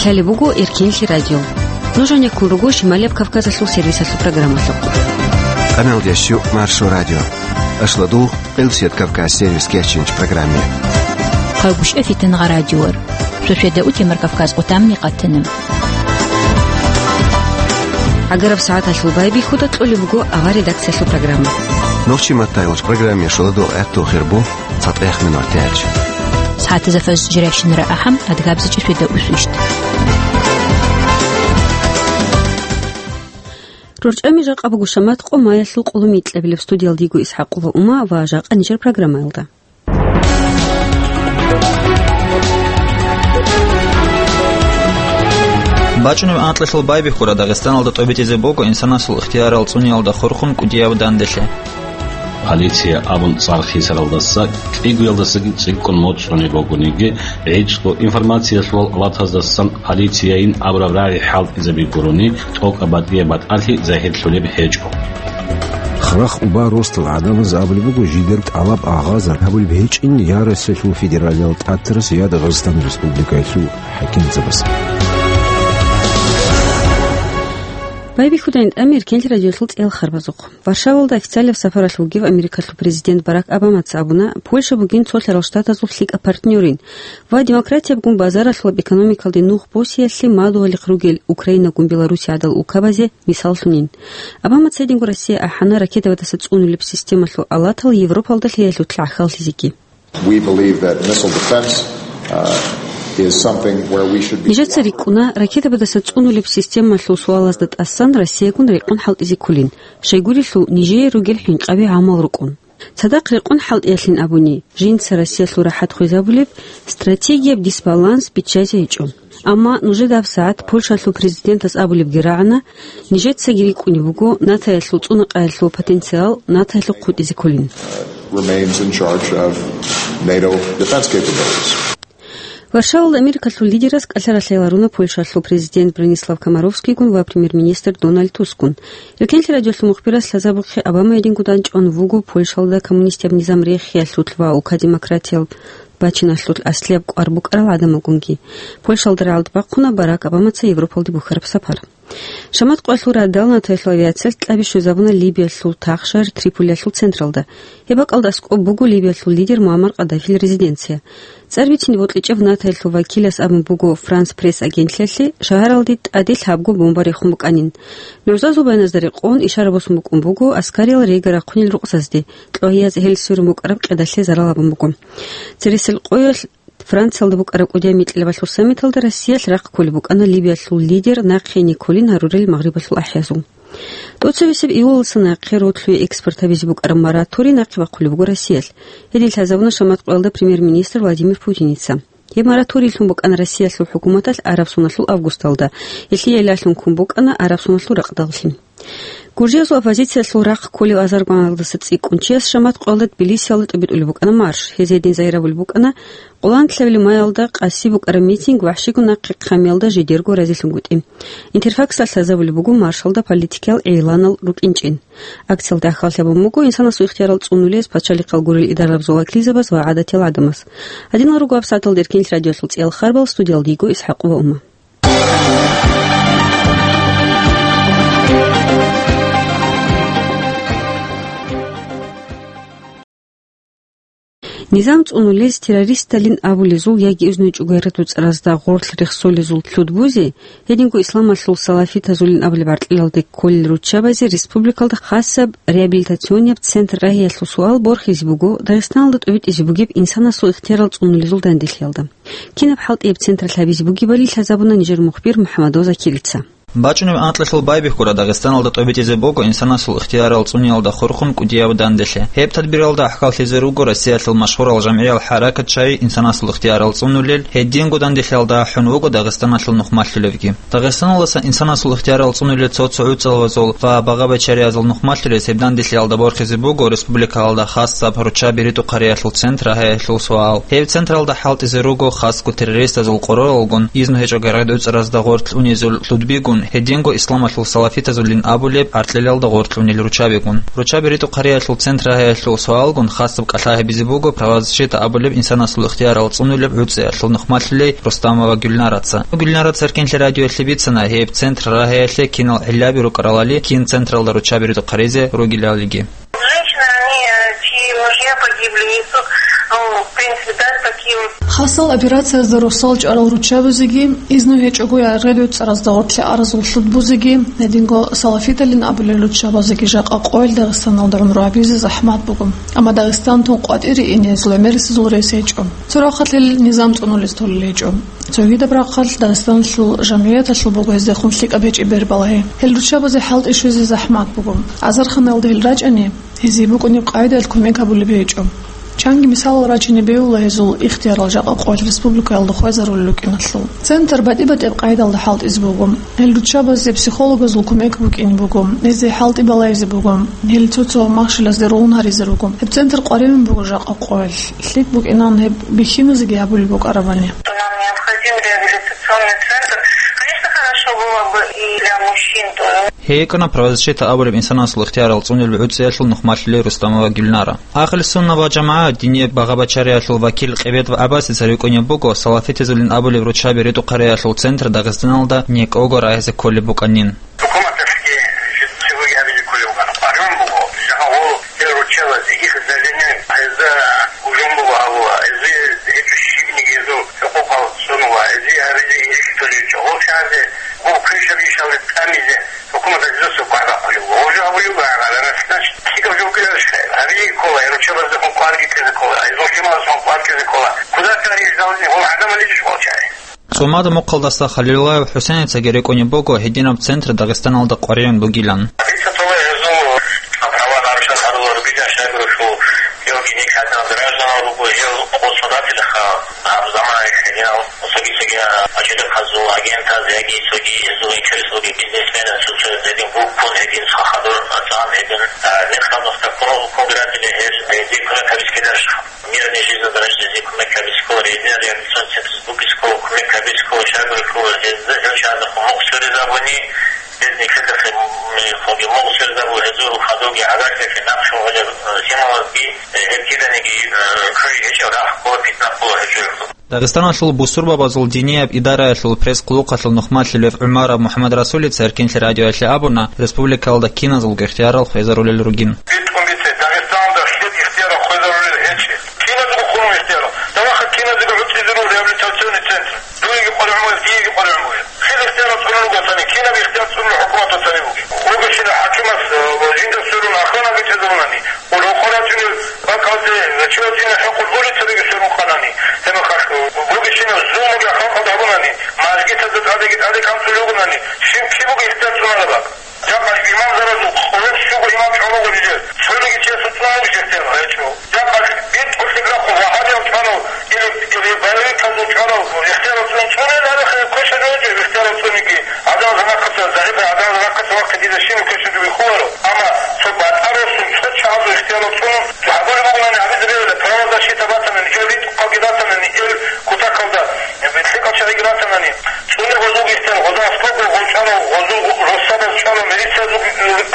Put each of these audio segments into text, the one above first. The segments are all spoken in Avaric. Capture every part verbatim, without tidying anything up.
Лъалеб буго Эркенлъи радио. Нуж гьанеккун руго Шималияб Кавказалъул сервисалъул программалъухъ. Къаналдеш щу Маршо радио. Ашлу дугъ Къилсият Кавказ сервис кечинч программе. Хъагушев Фитнагъа радиор. Шошеда утемар Кавказ къутамни къатана. Агараб сагӀаталъул байбихьуда кьолеб буго авар редакциялъул программа. Нохчи маттайилч программе шуладул гӀатту хирбу. ЦатӀех минут тяч. СагӀатазда фаз жирайщинара ахӀам, адгабзичӀи шведа усвищт. РорчӀами жакъа буго шамат къо маялъул къулумикьабилеб студиялдиго ИсхӀакъула Ума ва жакъа нижер программаялда. БачӀунеб анкьалъул байбихьура Дагъистаналда тӀобитӀизе буго инсанасул ихтиярал цӀуниялда хурхун кӀудияв данделъи. Полиция абун цӀар хисаралдаса кӀигоялдасаги цӀикӀкӀун моцӀрони бугониги, гӀицӀго информациялъул алатаздасан полицияйин абураб рагӀи хӀалтӀизаби гурони, тӀокӀаб батӀияб батӀалъи загьирлъулеб гьечӀо. Храх уба ростал гӀадамаз абулеб буго, жидер тӀалаб агъазар гьабулеб гьечӀин я Россиялъул федералиял тӀатарас, я Дагъистан Республикаялъул хӀакимзабаз. Байбихьудайин тӀамир кенлъи радиолъул цӀел харбазухъ. Варшавалда официалаб сапаралъ вугев Америкалъул президент Барак Обамаца абуна, Польша бугин цо лъарал штатазул лъикӀаб партнерин ва демократиябгун базаралъулаб экономикалде нух босиялъе мадугьалихъ ругел Украинагун Белоруссия гӀадал улкабазе мисаллъунин. Обамаца гьединго Россия ахӀана ракетабадаса цӀунулеб системалъул алатал Европалда лъиялъулъ гӀахьаллъизеги. We believe that missile defense, uh, is something where we should be Нижеца рикӀкӀуна, ракетабадаса цӀунулеб системалъул суалазда тӀасан Россиягун рекъон хӀалтӀизе кколин, щайгурелъул нижее ругел хӀинкъаби гӀамал рукӀун. Цадахъ рекъон хӀалтӀиялъин абуни, жинца Россиялъул рахӀат хвезабулеб стратегияб дисбаланс биччазе гьечӀо. Амма нужеда гьабсагӀат Польшалъул президентас абулебги рагӀана, нижецаги рикӀкӀунеб буго НАТОялъул цӀунакъаялъул потенциал НАТОялъухъ хутӀизе кколин. Remains in charge of NATO defense capabilities. Варшавалда Америкалъул лидерас кӀалъа ралъай ларуна Польшалъул президент Бронислав Комаровскийгун ва премьер-министр Дональд Тускгун. Эркенлъи радиолъул мухбирас лъазабухъе Обама гьединго данчӀван вуго Польшалда коммунистияб низам рехиялъулъ ва улка демократиял бачиналъулъ аслияб кӀвар букӀарал гӀадамалгунги. Польшалда рагӀалда бахъуна Барак Обамаца Европалде бухьараб сапар. Шамат къоялъул радал НАТОялъул авиациялъ кьаби щвезабуна Либиялъул тахшар Триполиялъул централда. Гьеб бакӀалда аскӀоб буго Либиялъул лидер Муаммар Къаддафил резиденция. ЦӀар бицине бокьичӀеб НАТОялъул вакилас абун буго Франс Пресс агентлъиялъе, шагьаралде тӀаде лъабго бомба рехун букӀанин. НугӀзазул баяназда рекъон, ишара босун букӀун буго аскариял рега рахъунел рукъзазде, кьогьияз гьел сверун букӀараб къедалъе зарал гьабун буго. Цересел къоялъ Франциялда букӀараб кӀудияв микьилабалъул саммиталда Россиялъ рахъ кколеб букӀана Либиялъул лидер нахъе гьенекколин гьарурел Магърибалъул ахӀиязул. ТӀоцебесеб июлалдаса нахъе ролъуе экспорт гьабизе букӀараб мораторий нахъе бахъулеб буго Россиялъ. Гьедин лъазабуна шамат къоялда премьер-министр Владимир Путиница. Гьеб мораторийлъун букӀана Россиялъул хӀукуматалъ араб соналъул августалда, гьелъие лъалъун ккун букӀана араб соналъул ракъдаллъи. Гуржиязул оппозициялъул рахъ кколев азаргоналдаса цӀикӀкӀун чияс шамат къоялда Тбилисиялда тӀобитӀулеб букӀана марш. Гьез гьедин загьиравулеб букӀана, къолан лъабилеб маялда къаси букӀараб митинг вахӀщигун нахъе хъамиялда жидерго разилъунгутӀи. Интерфаксалъ лъазабулеб буго маршалда политикиял игӀланал рукӀинчӀин. Акциялда ахӀаллъи гьабун буго инсанасул ихтиярал цӀунулез пачалихъал гурел идарабазул вакилзабаз ва гӀадатиял гӀадамаз. Гьадинал руго гьабсагӀаталда Эркенлъи радиолъул цӀиял харбал, студиялда йиго ИсхӀакъ ва Ума. Низам цӀунулез террористалин абулезул яги изну чӀугайра дуцӀаразда гъорлъ рехсолезул лъудбузе, гьединго исламалъул салафитазулин абулеб гӀаркьилалде кколел руччабазе республикалда хасаб реабилитационияб центр рагьиялъул суал борхизе буго, Дагъистаналда тӀобитӀизе бугеб инсанасул ихтиярал цӀунулезул данделъиялда. Кинаб хӀалтӀияб централъ гьабизе бугебали лъазабуна нижер мухбир МухӀаммадов Закирица. БачӀунеб анкьалъул байбихьура Дагъистаналда тӀобитӀизе буго инсанасул ихтиярал цӀуниялда хурхун кӀудияв данделъи. Гьеб тадбиралда ахӀкаллъизе руго Россиялъул машгьурал жамгӀиял хӀаракат чай инсанасул ихтиярал цӀунулел, гьединго данделъиялда ахӀун вуго Дагъистаналъул нухмалъулевги. Дагъистаналдаса инсанасул ихтиярал цӀунулел цо-цо гӀуцӀалвазул ва багъа-бачариязул нухмалъулез гьеб данделъиялда борхизе буго республикалда хасаб руччаби ритӀухъариялъул центр рагьиялъул суал. Гьеб централда хӀалтӀизе руго хасго террористазул къоролалгун изну гьечӀо гӀаргӀи дуцӀаразда гъорлъ унезул лъудбигун, Гьединго исламалъул салафитазулин абулеб гӀаркьлъиялда гъоркьунел руччабигун. Руччаби ритӀухъариялъул центр рагьаялъул суалгун хасаб кӀалъа гьабизе буго правозащита абулеб инсанасул ихтиярал цӀунулеб гӀуцӀиялъул нухмалъулей Рустамова Гюльнараца. Гюльнараца Эркенлъи радиоялъе бицана гьеб центр рагьаялъе кинал гӀиллаби рукӀаралали, кин централда руччаби ритӀухъаризе ругелалиги. Женщины, они, э, чьи мужья погибли, несут, ну, в принципе, да, такие вот. Хасал операциязда росал чӀарал руччабазеги, изну гьечӀого я радиоцӀаразда гъоркье аразул лъудбузеги, гьединго салафиталин абулел руччабазеги жакъа къоял Дагъистаналда гӀумру гьабизе захӀмат буго. Амма Дагъистантун къватӀире ине гьезул гӀемерисезул рес гьечӀо. Цо рахъалъил низам цӀунулез толел гьечӀо. Цогидаб рахъалъ Дагъистаналъул жамгӀияталъул буго гьездехун лъикӀаб гьечӀеб бербалагьи. Гьел руччабазе хӀалтӀи щвезе захӀмат буго. Азарханалда гьел рачӀани, гьезие букӀунеб къагӀидаялъ кумек гьабулеб гьечӀо. Чанги мисалал рачине бегьула гьезул ихтиярал жакъа къоялъ республикаялда хвезарулел рукӀиналъул. Центр батӀи-батӀияб къагӀидалда хӀалтӀизе буго. Гьел руччабазе психологазул кумек букӀине буго, гьезие хӀалтӀи балагьизе буго, гьел цо-цо махщелазде рогьун гьаризе руго. Гьеб центр къваригӀун буго жакъа къоялъ. ЛъикӀ букӀинан гьеб бихьиназеги гьабулеб букӀарабани. Нам необходим реабилитационный центр. Конечно, хорошо было бы и для мужчин тоже. ГьекӀана правозащита абулеб инсанасул ихтиярал цӀунулеб гӀуцӀиялъул нухмалъулей Рустамова Гюльнара. Ахир сунна ва жамагӀат динияб багъа-бачариялъул вакил Къибет ва ГӀаббасица рикӀкӀунеб буго салафитазулин абулеб руччаби ритӀухъариялъул центр Дагъистаналда некӀого рагьизе кколеб букӀанин. ХӀукуматалъги жи-, живой гьабизе кколев вукӀана. КъваригӀун буго, жагьа гъо, гьел руччабазе, их заведение, гьезда гьужум буго гьабула, гьезие гьечӀо щибниги гьезул хӀукъукъал цӀунула, гьезие гьабизе инжит толел чӀогӀол чагӀазе, гъо, квешаб ишалде тӀамизе, хӀукуматалъ гьезул къваригӀун буго. Гьужум гьабулев вукӀана, значит, лъикӀаб жо ккеларищ гьабизе ккола, гьел руччабаздехун къваригӀизе ккола, гьезул лъималазухъан къваригӀизе ккола. Куда кари ждал не, гьол гӀадамал иш гъол чагӀи. ЦӀумада мухъалдаса Халилаев ХӀусеницаги рикӀкӀунеб буго гьединаб центр Дагъистаналда къваригӀун бугилан. Дица цо гьезул права нарушать гьарулел ругилан, щайгурелъул гьев гьениб гьадинал гражданал руго, гьев къосун ратилаха гьаб заманаялъ гьединал цоги-цоги ажидаказул агентаз яги цоги гьезул интереслъуги бизнесменаз цо-цо гьедин гуккун, гьедин цо хадур цӀан, гьедин, а, нихъабазда ккун, ккун ратила гьез, гьезие кумек гьабизе ккеларищха? Мирный жизнь дорождезе кумек гьабизе ккола, гьезда реабилитационный централъ букӀизе ккола, кумек гьабизе ккола, щайгурелъул гьезда гьел чагӀазухъ мухъ сверизабуни, гьез нилъеда хъе-, м, хъуги мухъ сверизабула, гьезул хадурги гӀагарлъи нахъ щун гьелеб, э, лъималазги, э, гьеб киданиги, э, кквей гьечӀеб рахъ ккола, питна ккола гьечӀеб. Дагъистаналъул бусурбабазул динияб идараялъул пресс-хъулухъалъул нухмалъулев ГӀумаров МухӀамадрасулица Эркенлъи радиоялъе абуна, республикалда киназулго ихтиярал хвезарулел ругин. БитӀун бице, Дагъистаналда хир ихтиярал хвезарулел гьечӀеб. Киназего хурун ихтияр. Даваха киназего гӀуцӀизарул реабилитационный центр. Дуеги къваригӀун бугеб, диеги къваригӀун бугеб. Хир ихтиярал цӀунун ругоцани, кинаб ихтияр цӀунун хӀукуматалъ цани бугеб. Вугещина хӀакимас, э, жинда сверун охрана бичӀчӀизарунани, рокъор рачӀунел бакӀалде, э, чи вачӀине хӀукъулъ улицабиги сверун къанани, гьебмехалъ, э, вугещина зулмуги халкъалда гьабунани, мажгитазда тӀадеги тӀаде кӀанцӀулел ругонани, щив киб буго ихтияр цӀунараб бакӀ? Жакъа имамзаразул къоло щуго имам чӀван буго жидер. Цониги чиясул цӀунун жехтер гьечӀо. Жакъа битӀулъ рахъун вагьабиял чӀванав или, или боевиказул чӀванав ихтияр цӀун цӀунел гьарихъе квеша жо гьечӀо ихтияр цӀуниги. Гьадал замахъаса, загьирлъи гьадал замахъаса вахъи дида щиб квеша жо бихуларо. Амма цо батӀа росун цо чагӀазул ихтияр цӀун гьабулеб бугонани гьабизе бегьула, правозащита батанани, ил ритӀухъалги батанани, ил кутакалда лъикӀал чагӀиги батанани. ЦӀуне гъозулги ихтияр, гъоза аскобго гъол чӀванав, гъозул росабаз чӀванав, милициязулги,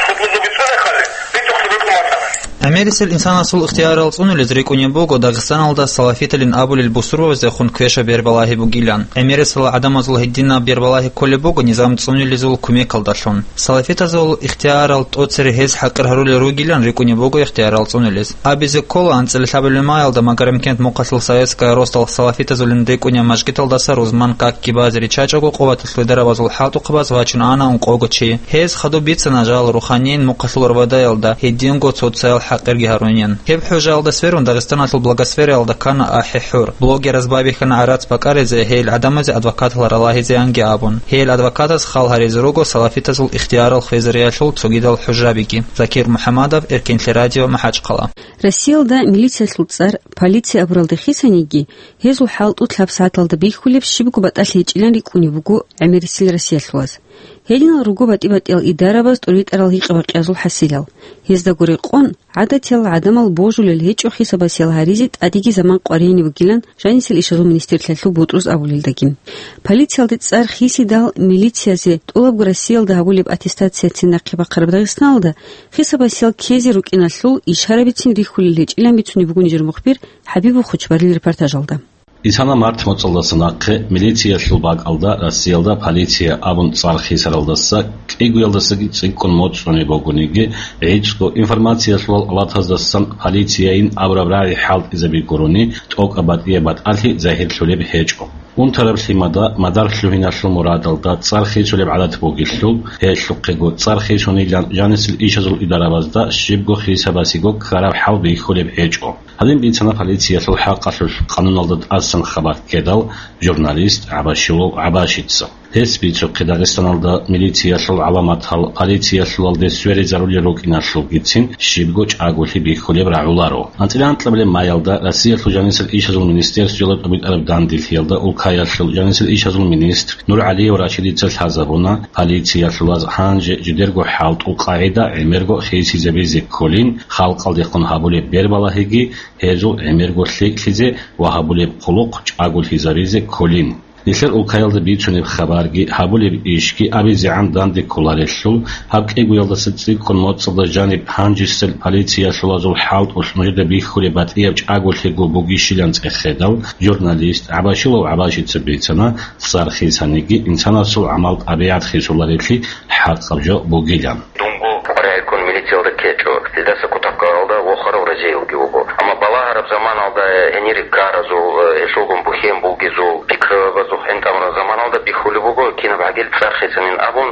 хутӀбузулги цӀуне хъале, ритӀухълъи букӀун батанани. ГӀемерисел инсанасул ихтиярал цӀунулез рикӀкӀунеб буго Дагъистаналда салафиталин абулел бусурбабаздехун квеша бербалагьи бугилан. ГӀемерисел гӀадамазул гьединаб бербалагьи кколеб буго низам цӀунилезул кумекалдалъун. Салафитазул ихтиярал тӀоцере гьез хӀакъир гьарулел ругилан рикӀкӀунеб буго ихтиярал цӀунулез. Абизе ккола, анцӀила лъабабилеб маялда Магарамкент мухъалъул Советская росдал салафитазулин рикӀкӀунеб мажгиталдаса рузман какги базе риччачӀого, къуваталъул дарабазул хӀалтӀухъабаз вачун ана ункъого чи. Гьез хадуб бицана жал руханин мухъалъул Рвадаялда гьединго цоцаял хӀакъирги гьарунин. Гьеб хӀужаялда сверун Дагъистаналъул Благосфераялда ккана ахӀи-хӀур. Блогераз байбихьана гӀарац бакӀаризе, гьел гӀадамазе адвокатал ралагьизеянги абун. Гьел адвокатаз хал гьаризе руго салафитазул ихтиярал хвезариялъул цогидал хӀужабиги. Закир МухӀамадов, Эркенлъи радио, МахӀачхъала. Россиялда милициялъул цӀар полиция абуралда хисаниги, гьезул хӀалтӀу лъабсагӀаталда бихьулеб щибго батӀалъи гьечӀилан рикӀкӀунеб буго гӀемерисел россиялъулаз. Гьединал руго батӀи-батӀиял идарабаз тӀуритӀарал гьикъа-бакъиязул хӀасилал. Гьездаго рекъон, гӀадатиял гӀадамал божулел гьечӀо хисабасиял гьаризе тӀадеги заман къваригьине бугилан жанисел ишазул министрлъиялъул бутӀруз абулелдаги. Полициялде цӀар хисидал милициязе тӀолабго Россиялда гьабулеб аттестацияцин нахъе бахъараб Дагъистаналда хисабасиял ккезе рукӀиналъул ишарабицин рихьулел гьечӀилан бицунеб буго нижер мухбир ХӀабибул Хучбарил репортажалда. Исана март моцӀалдаса нахъе милициялъул бакӀалда Россиялда полиция абун цӀар хисаралдаса кӀигоялдасаги цӀикӀкӀун моцӀ цӀуне бугониги, гӀицӀго информациялъулал алатаздасан полицияйин абураб рагӀи хӀалтӀизаби гурони, тӀокӀаб батӀияб батӀалъи загьирлъулеб гьечӀо. Унтараб лъимада мадар лъугьиналъул мурадалда цӀар хисулеб гӀадат бугелъул, гьелъухъего цӀар хисунилан жанисел ишазул идарабазда щибго хисабасиго ккараб хӀал бихьулеб гьечӀо. Гьадин бицана полициялъул хӀакъалъулъ къануналда тӀасан хабар ккедал журналист ГӀабашилов ГӀабашица. Гьес бицухъе Дагъистаналда милициялъул гӀаламатал полициялъулалде сверизарулел рукӀиналъулгицин щибго чӀаголъи бихьулеб рагӀуларо. АнцӀила анкьабилеб маялда Россиялъул жанисел ишазул министерствоялда тӀубитӀараб данделъиялда улкаялъул жанисел ишазул министр НургӀалиев Рашидица лъазабуна, полициялъулаз гьанже жидерго хӀалтӀул къагӀида гӀемерго хисизабизе кколин, халкъалдехун гьабулеб бербалагьиги гьезул гӀемерго лъикӀлъизе ва гьабулеб хъулухъ чӀаголъизабизе кколин. Нилъер улкаялда бицунеб хабарги, гьабулеб ишги абизегӀан данде кколарелъул, гьаб кӀигоялдаса цӀикӀкӀун моцӀалда жаниб гьанжесел полициялъулазул хӀалтӀулъ нужеда бихьулеб батӀияб чӀаголъиго бугищилан цӀехедал, журналист ГӀабашилов ГӀабашица бицана, цӀар хисаниги инсанасул гӀамал-тӀабигӀат хисуларелъи хӀакъаб жо бугилан. Дунго къваригӀелккун милициялда ккечӀо, гьелдаса кутакалда вохарав разиялги вуго. Амма балагьараб заманалда, гьенир ккаразул, гьелъулгун бухьен бугезул, пикрабазухъ гӀинтӀамураб заманалда бихьулеб буго, кинаб гӀагил цӀар хисанин абун,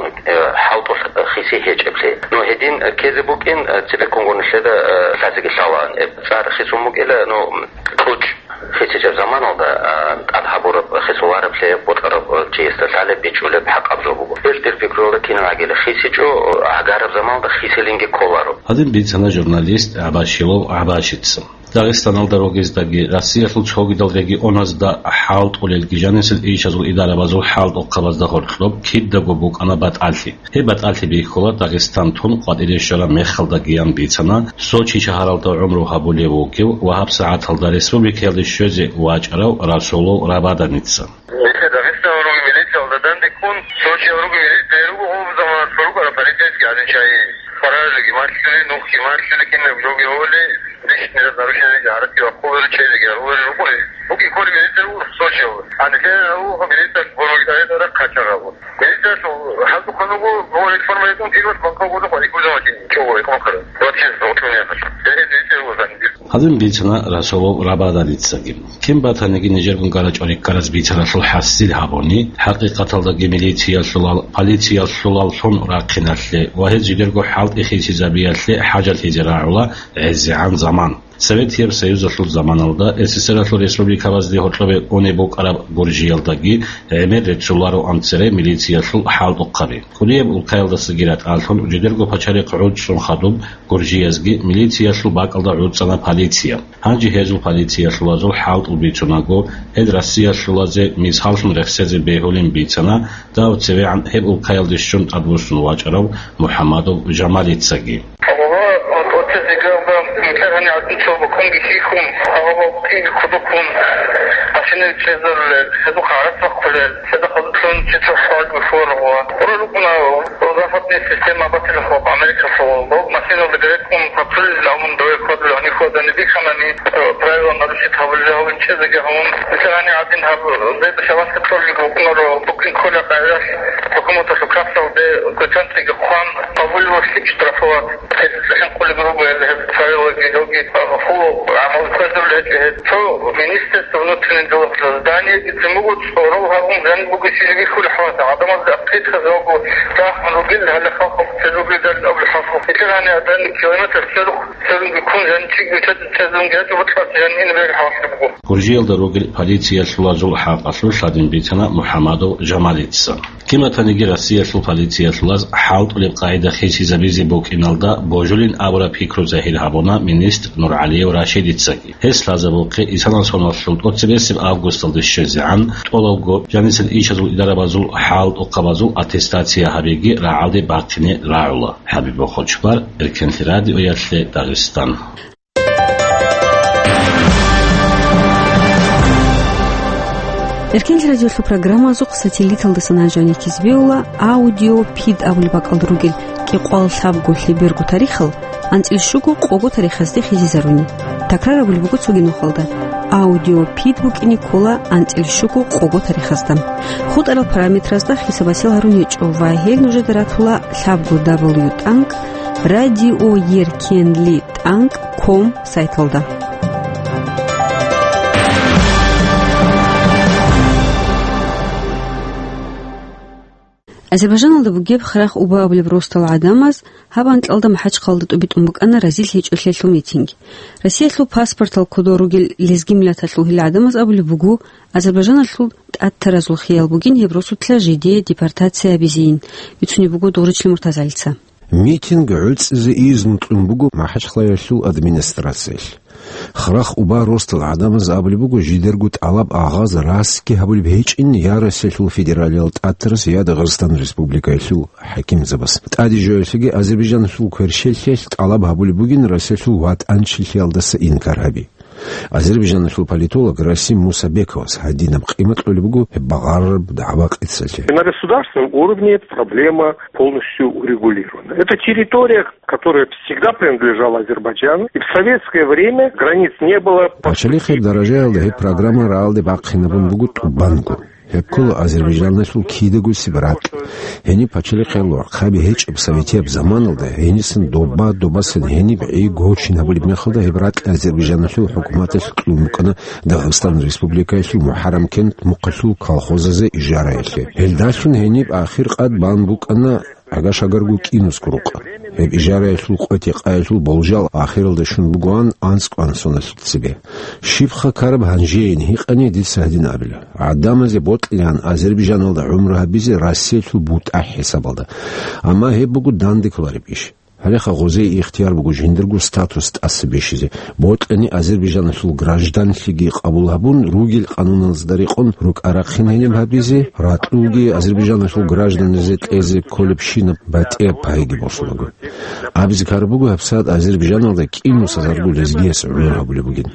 хӀалтӀулъ хиси гьечӀеблъи. Ну, гьедин ккезе букӀин, цебеккунгун нилъеда лъазеги лъалаан. ЦӀар хисун букӀила, ну, кьучӀ хисичӀеб заманалда, а, тӀад гьабураб хисулараблъи бокьарав чиясда лъалеб, бичӀчӀулеб хӀакъаб жо буго. Гьелъ дир пикруялда кинаб гӀагила хисичӀо, гӀагараб заманалда хисилинги кколаро. Гьадин бицана журналист ГӀабашилов ГӀабашица. Дагъистаналда ругездаги, Россиялъул цогидал регионазда хӀалтӀулелги жанисел ишазул идарабазул хӀалтӀухъабазда гьоркьоб кидаго букӀана батӀалъи. Гьеб батӀалъи бихьула Дагъистан тун къватӀире щвараб мехалдагиян бицана Сочи шагьаралда гӀумру гьабулев вугев ва гьабсагӀаталда республикаялде щвезе вачӀарав Расулов Рабаданица. Нилъер Дагъистаналъул ругел милициялда данде ккун, Сочиялъул ругел милиция руго гьеб заманалъ рукӀарал полицейский гӀадин чагӀи. Хваражиги малъули, нухги малъули, кинаб жоги гьоли, личный нарушениеги гьаракки бахъулел чагӀиги гьарулел руго. Буги кколеб милиция руго Сочиялда. А нилъер гьаб милиция гурбакьарила рахъ гьачагъабун. Милициялъул хӀалтӀухъан руго, гьаб реформа гьечӀун, кигос банков гурдухъ ва икӀузаватин чӀого, икӀ махъара. Вообще, вот у меня. Гьедин милиция руго. Гьадин бицана Расулов Рабаданицаги. Кин батаниги нижергун гарачӀо рикӀкӀараз бицаралъул хӀасил гьабуни, хӀакъикъаталдаги милициялъулал, полициялъулаллъун рахъиналъе ва гьез жидерго хӀалтӀи хисизабиялъе хӀажалъизе рагӀула гӀезегӀан заман. Советияб Союзалъул заманалда СССРалъул республикабазде гьоркьобе унеб букӀараб Гуржиялдаги гӀемер реццулароан цере милициялъул хӀалтӀухъаби. КӀудияб улкаялдасаги ратӀалъун жидерго пачарихъ гӀуцӀцӀун хадуб Гуржиязги милициялъул бакӀалда гӀуцӀана полиция. Гьанже гьезул полициялъулазул хӀалтӀул бицунаго, гьел Россиялъулазе мисаллъун рехсезе бегьулин бицана дав цевегӀан гьеб улкаялде щун тӀадвуссун вачӀарав МухӀамадов Жамалицаги. Гьале, вот, вот эти грабы, нилъер гьанив гӀадин цо букунги хьихьун, гьале, кинги кодоккун, машинаби чӀезарулел, гьезухъ гӀарац бахъулел, цадахъ гьазулъун чи цо хӀалги хьварагъула. Гьура рукӀуна западная система батилахъ Америкалъул. Дов машиналда греккун патруль гьавун дове хьвадулел гьанив хьвадани бихьанани, э, правила нарушить гьабулел гьавун чӀезеги гьавун. Нилъер гьанив гӀадин гьаб, э, зайда шавалъ кьолги букӀунаро, букӀин кколеб къайдалъ, хӀукуматалъул кассалде квитанциги хъван, гьабулев лъикӀ штрафовать. Гьеб цӀехӀел къулеб руго гьел, гьеб царелаги, гьелги, а, хъулухъ гӀамал кквезабулеб гьечӀо гьеб. Цо Министерство внутренних делалъул зданиеги цин буго, цӀорол гьабун, гьаниб буго щиб бихьулеб хӀалат, гӀадамазда ахъида гьезулго рахман ругел, гьале халкъалъ цӀезулгидалин абулеб хӀалху. Нилъер гьанив гӀадин километр цӀезухъ цӀезунги ккун, гьанив чиги цӀезунги гьечӀо, бутӀрулъ гьанив ине бегьулеб хӀалат буго. Гуржиялда ругел полициялъулазул хӀакъалъулъ гьадин бицана МухӀамадов Жамалица. Кин бат- Цониги Россиялъул полициялъулаз хӀалтӀулеб къагӀида хисизабизе букӀиналда божулин абураб пикру загьир гьабуна министр НургӀалиев Рашидицаги. Гьес лъазабухъе исанал соналъул тӀоцебесеб августалде щвезегӀан тӀолабго жанисел ишазул идарабазул хӀалтӀухъабазул аттестация гьабиги рагӀалде бахъине рагӀула. ХӀабиб Бохочбар, Эркенлъи радиоялъе, Дагъистан. Эркенлъи радиолъул программазухъ сателлиталдасан гьанжани кизбеула аудиопид абулеб бакӀалда ругел кӀикъоялда лъабго лъеберго тарихал анцӀил щуго къого тарихазде хизизаруни. Такрар абулеб буго цоги нухалда: аудиопид букӀине ккола анцӀил щуго къого тарихазда. ХутӀарал параметразда хисабасел гьарун гьечӀо ва гьел нужеда ратула лъабго дабл ю тӀанкӀ радиоеркенли тӀанкӀ ком сайталда. Азербайжаналда бугеб Храх-Уба абулеб росдал гӀадамаз гьаб анкьалда МахӀачхъалда тӀубитӀун букӀана разил гьечӀолъиялъул митинг. Россиялъул паспортал кодол ругел лезги миллаталъул гьел гӀадамаз абулеб буго, Азербайжаналъул тӀатаразул хиял бугин гьеб росулъа жидее депортация гьабизейин, бицунеб буго Дугъричил Муртазалица. Митинг гӀуцӀизе изну кьун буго МахӀачхъалаялъул администрациялъ. Храх-Уба росдал гӀадамаз абулеб буго, жидерго тӀалаб агъаз расги гьабулеб гьечӀин я Россиялъул федералиял тӀатараз, я Дагъистан Республикаялъул хӀакимзабаз. ТӀаде жоялъеги Азербайжаналъул кверщеллъиялъ тӀалаб гьабулеб бугин Россиялъул ватӀанчилъиялдаса инкар гьаби. Азербайжаналъул политолог Расим Мусабековас гьадинаб къимат кьолеб буго гьеб багъарараб дагӀба-къецалъе. И на государственном уровне эта проблема полностью урегулирована. Это территория, которая всегда принадлежала Азербайджану, и в советское время границ не было. Пачалихъеб даражаялда гьеб программа рагӀалде бахъинабун буго тӀубанго. Гьеб ккола Азербайжаналъул кидагусеб ракь. Гьениб пачалихъе лорхъаби гьечӀеб советияб заманалда, гьенисан доба-добасан гьениб гӀи гочин гьабулеб мехалда, гьеб ракь Азербайжаналъул хӀукуматалъ кьун букӀана Дагъистан Республикаялъул МухӀаррамкент мухъалъул колхозазе ижараялъе. Гьелдалъун гьениб ахир къад бан букӀана гӀага-шагарго кӀинусго рукъа. Гьеб ижараялъул къотӀи-къаялъул болжал ахиралда щун бугоан анцӀго-ан соналъ цебе. Щибха ккараб гьанжеян гьикъани, дица гьадин абила: гӀадамазе бокьилаан Азербайжаналда гӀумру гьабизе Россиялъул бутӀа хӀисабалда. Амма гьеб буго данде кколареб иш. Гьалеха гъозие ихтияр буго жиндирго статус тӀаса бищизе, бокьани Азербайжаналъул гражданлъиги къабул гьабун, ругел къануналзда рекъон рукӀа-рахъин гьениб гьабизе, ракьулги Азербайжаналъул гражданлъизе кьезе кколебщинаб батӀияб пайги босулаго. Абизе ккараб буго, гьабсагӀат Азербайжаналда кӀинусазарго лезгияс гӀумру гьабулеб бугин.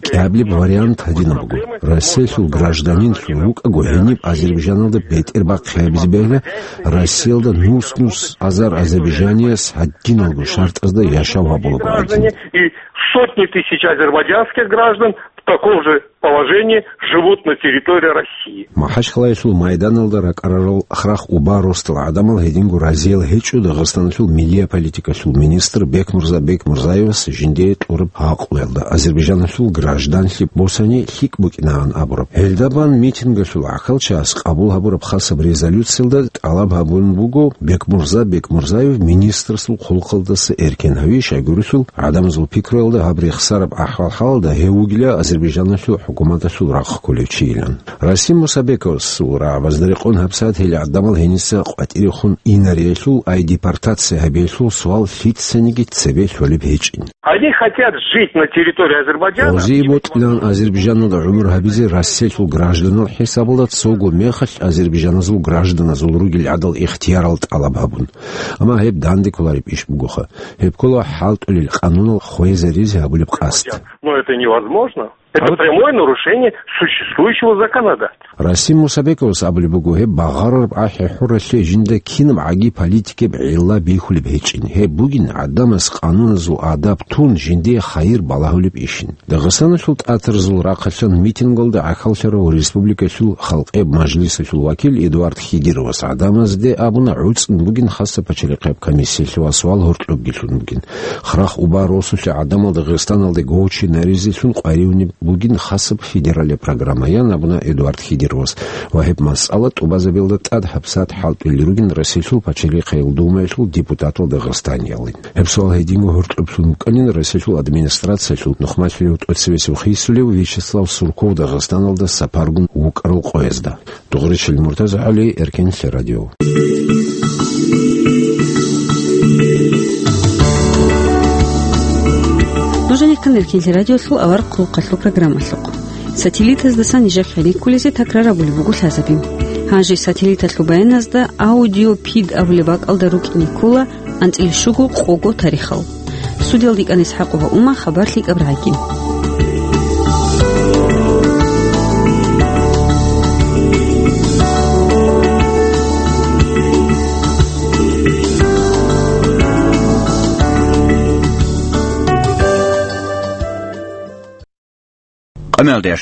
КӀиабилеб вариант гьадинаб буго: Россиялъул гражданинлъун вукӀаго гьениб Азербайжаналда бетӀер бахъи гьабизе бегьила, Россиялда нус-нус азар азербайжанияс гьадиналго шартӀазда яшав гьабулаго гӀадин. И сотни тысяч азербайджанских граждан в таком же положении живут на территории России. МахӀачхъалаялъул майданалда ракӀарарал Храх-Уба росдал гӀадамал гьединго разиял гьечӀо Дагъистаналъул миллия политикалъул министр Бекмурза Бекмурзаевас жиндие тӀураб гьакъуялда, Азербайжаналъул гражданлъи босани лъикӀ букӀинаан абураб. Гьелда бан митингалъул гӀахьалчагӀаз къабул гьабураб хасаб резолюциялда тӀалаб гьабун буго Бекмурза Бекмурзаев министрасул хъулухъалдаса эркен гьави, щайгурелъул гӀадамазул пикруялда гьаб рехсараб ахӀвал-хӀалалда гьев вугила Азербайжаналъул хӀукуматалъул рахъ кколев чийилан. Расим Мусабековасул рагӀабазда рекъон гьабсагӀат гьел гӀадамал гьениса къватӀирехун инариялъул, ай депортация гьабиялъул суал лъицаниги цебе лъолеб гьечӀин. Они хотят жить на территории Азербайджана. Гъозие бокьилаан Азербайжаналда гӀумру гьабизе Россиялъул гражданал хӀисабалда, цого мехалъ азербайжаназул гражданазул ругел гӀадал ихтиярал тӀалаб гьабун. Амма гьеб данде кколареб иш бугоха. Гьеб ккола хӀалтӀулел къанунал хвезаризе гьабулеб къасд. Но это невозможно. Это прямое нарушение существующего законодательства. Расим Мусабековас абулеб буго, гьеб багъарараб ахӀи-хӀуралъе жинда кинаб гӀаги политикияб гӀилла бихьулеб гьечӀин. Гьеб бугин гӀадамас къануназул адаб тун жиндие хайир балагьулеб ишин. Дагъистаналъул тӀатарзул рахъалъан митингалда гӀахьаллъарав республикалъул Халкъеб мажлисалъул вакил Эдуард Хидировас гӀадамазде абуна, гӀуцӀун бугин хасаб пачалихъеб комиссиялъе ва суал гьоркьобги лъун бугин. Храх-Уба росулъе гӀадамал Дагъистаналде гочинаризелъун къваригӀунеб бугин хасаб федералияб программаян абуна Эдуард Хидировас ва гьеб масъала тӀубазабиялда тӀад гьабсагӀат хӀалтӀулел ругин Россиялъул пачалихъаял думаялъул депутатал Дагъистаниялин. Гьеб суал гьединго гьоркьоблъун букӀанин Россиялъул администрациялъул нухмалъулев тӀоцебесев хисулев Вячеслав Сурков Дагъистаналда сапаргун вукӀарал къоязда. Дугъричил МуртазагӀали, Эркенлъи радио. Нуж гьанир ккан Эркенлъи радиолъул аварагасул хъалъул программалъухъ. Сателлитаздасан нижехъе риккулезе такрар абулеб буго лъазабин. Гьанже сателлиталъул баяназда аудиопид абулеб бакӀалда рукӀине ккола анцӀила щуго къого тарихал. Студиялда йикӀана ИсхӀакъова Ума, хабар лъикӀаб рагӀаги. Къамелдеш.